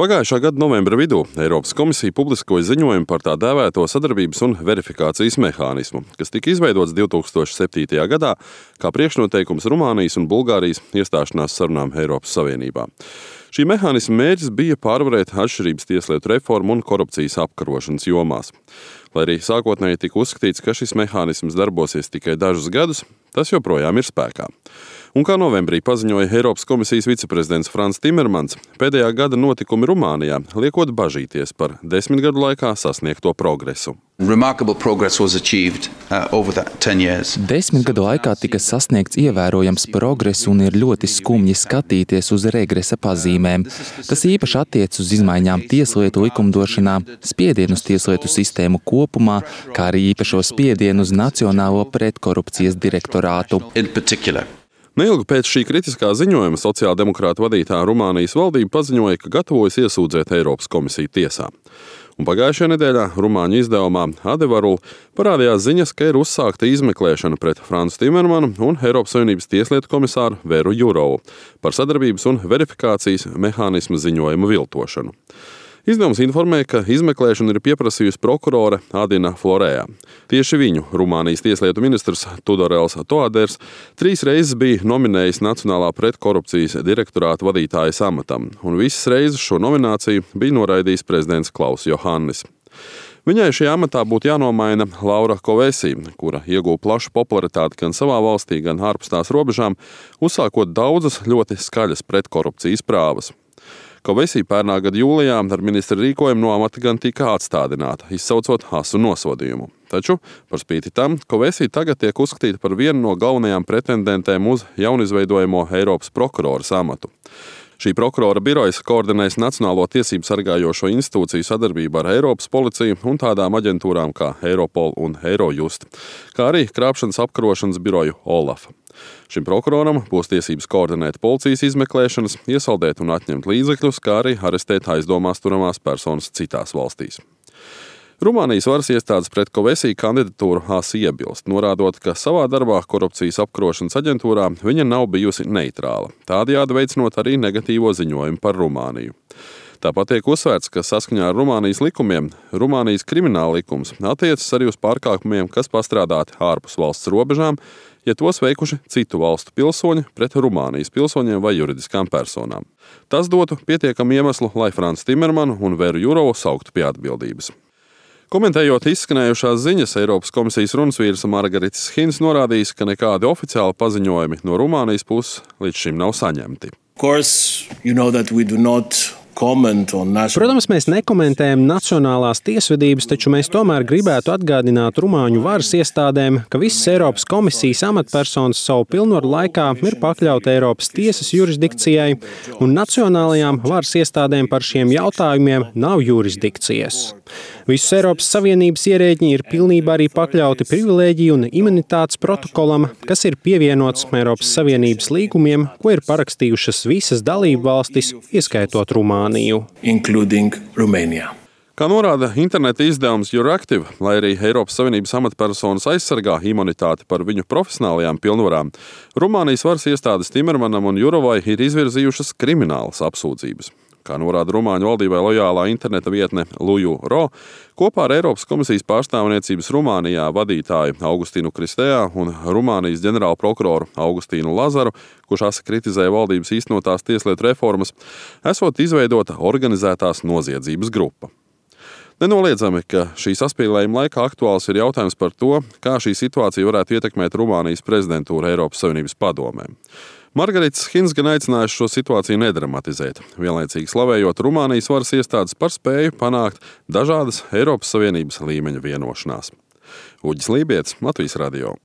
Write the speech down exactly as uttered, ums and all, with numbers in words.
Pagājušā gada novembra vidū Eiropas komisija publiskoja ziņojumu par tā dēvēto sadarbības un verifikācijas mehānismu, kas tika izveidots divi tūkstoši septītajā gadā kā priekšnoteikums Rumānijas un Bulgārijas iestāšanās sarunām Eiropas Savienībā. Šī mehānisma mērķis bija pārvarēt atšķirības tieslietu reformu un korupcijas apkarošanas jomās. Lai arī sākotnēji tika uzskatīts, ka šis mehānisms darbosies tikai dažus gadus, tas joprojām ir spēkā. Un kā novembrī paziņoja Eiropas komisijas viceprezidents Frans Timermans, pēdējā gada notikumi Rumānijā liekot bažīties par desmit gadu laikā sasniegto progresu. Achieved, uh, Desmit gadu laikā tika sasniegts ievērojams progress un ir ļoti skumji skatīties uz regresa pazīmēm. Tas īpaši attiec uz izmaiņām tieslietu likumdošanā, spiedienu uz tieslietu sistēmu kopumā, kā arī īpašo spiedienu uz Nacionālo pretkorupcijas direktorātu. Neilgi pēc šī kritiskā ziņojuma sociāldemokrātu vadītā Rumānijas valdība paziņoja, ka gatavojas iesūdzēt Eiropas komisiju tiesā. Un pagājušajā nedēļā rumāņu izdevumā Adevarul parādījās ziņas, ka ir uzsākta izmeklēšana pret Fransu Timermanu un Eiropas Savienības tieslietu komisāru Veru Jurovu par sadarbības un verifikācijas mehānismu ziņojumu viltošanu. Izdevums informēja, ka izmeklēšanu ir pieprasījusi prokurore Adina Florēja. Tieši viņu Rumānijas tieslietu ministrs Tudorels Toaders trīs reizes bija nominējis Nacionālā pretkorupcijas direktorāta vadītājas amatam, un visas reizes šo nomināciju bija noraidījis prezidents Klaus Johannis. Viņai šajā amatā būtu jānomaina Laura Kovesi, kura ieguva plašu popularitāti gan savā valstī, gan ārpus tās robežām, uzsākot daudzas ļoti skaļas pretkorupcijas prāvas. Kovesi pērnā gada jūlijā ar ministra rīkojumu no amata gan tika atstādināta, izsaucot asu nosodījumu. Taču, par spīti tam, Kovesi tagad tiek uzskatīta par vienu no galvenajām pretendentēm uz jaunizveidojamo Eiropas prokuroras amatu. Šī prokurora birojas koordinēs Nacionālo tiesību sargājošo institūciju sadarbību ar Eiropas policiju un tādām aģentūrām kā Eiropol un Eirojust, kā arī krāpšanas apkarošanas biroju Olaf. Šim prokuroram būs tiesības koordinēt policijas izmeklēšanas, iesaldēt un atņemt līdzekļus, kā arī arestēt aizdomās turamās personas citās valstīs. Rumānijas varas iestādes pret Kovesi kandidatūru asi iebilst, norādot, ka savā darbā korupcijas apkarošanas aģentūrā viņa nav bijusi neitrāla, tādējādi veicinot arī negatīvo ziņojumu par Rumāniju. Tāpat tiek uzsvērts, ka saskaņā ar Rumānijas likumiem Rumānijas krimināla likums attiecas arī uz pārkāpumiem, kas pastrādāti ārpus valsts robežām, ja tos veikuši citu valstu pilsoņi pret Rumānijas pilsoņiem vai juridiskām personām. Tas dotu pietiekamu iemeslu, lai Fransu Timermanu un Veru Jurovu sauktu pie atbildības. Komentējot izskanējušās ziņas, Eiropas komisijas runas Margaritis Hins norādījis, ka nekādi oficiāli paziņojumi no Rumānijas puses līdz šim nav saņemti. Course, you know Protams, mēs nekomentējam nacionālās tiesvedības, taču mēs tomēr gribētu atgādināt rumāņu varas iestādēm, ka visas Eiropas komisijas amatpersonas savu pilnvaru laikā ir pakļauti Eiropas tiesas jurisdikcijai, un nacionālajām varas iestādēm par šiem jautājumiem nav jurisdikcijas. Visus Eiropas Savienības ierēģi ir pilnībā arī pakļauti privilēģiju un imunitātes protokolam, kas ir pievienots Eiropas Savienības līgumiem, ko ir parakstījušas visas dalību valstis, ieskaitot Rumāniju. Kā norāda interneta izdevums Euractiv, lai arī Eiropas Savienības amatpersonas aizsargā imunitāti par viņu profesionālajām pilnvarām, Rumānijas varas iestādes Timermanam un Jurovai ir izvirzījušas kriminālas apsūdzības. Kā norāda Rumāņu valdībai lojālā interneta vietne Luju Ro, kopā ar Eiropas komisijas pārstāvniecības Rumānijā vadītāju Augustīnu Kristējā un Rumānijas ģenerālu prokuroru Augustīnu Lazaru, kurš asi kritizēja valdības īstenotās tieslietu reformas, esot izveidota organizētās noziedzības grupa. Nenoliedzami, ka šī saspīlējuma laikā aktuāls ir jautājums par to, kā šī situācija varētu ietekmēt Rumānijas prezidentūru Eiropas Savienības padomē. Margaritis Hins gan aicinājuši šo situāciju nedramatizēt, vienlaicīgi slavējot Rumānijas varas iestādes par spēju panākt dažādas Eiropas Savienības līmeņa vienošanās. Uģis Lībietis, Latvijas radio.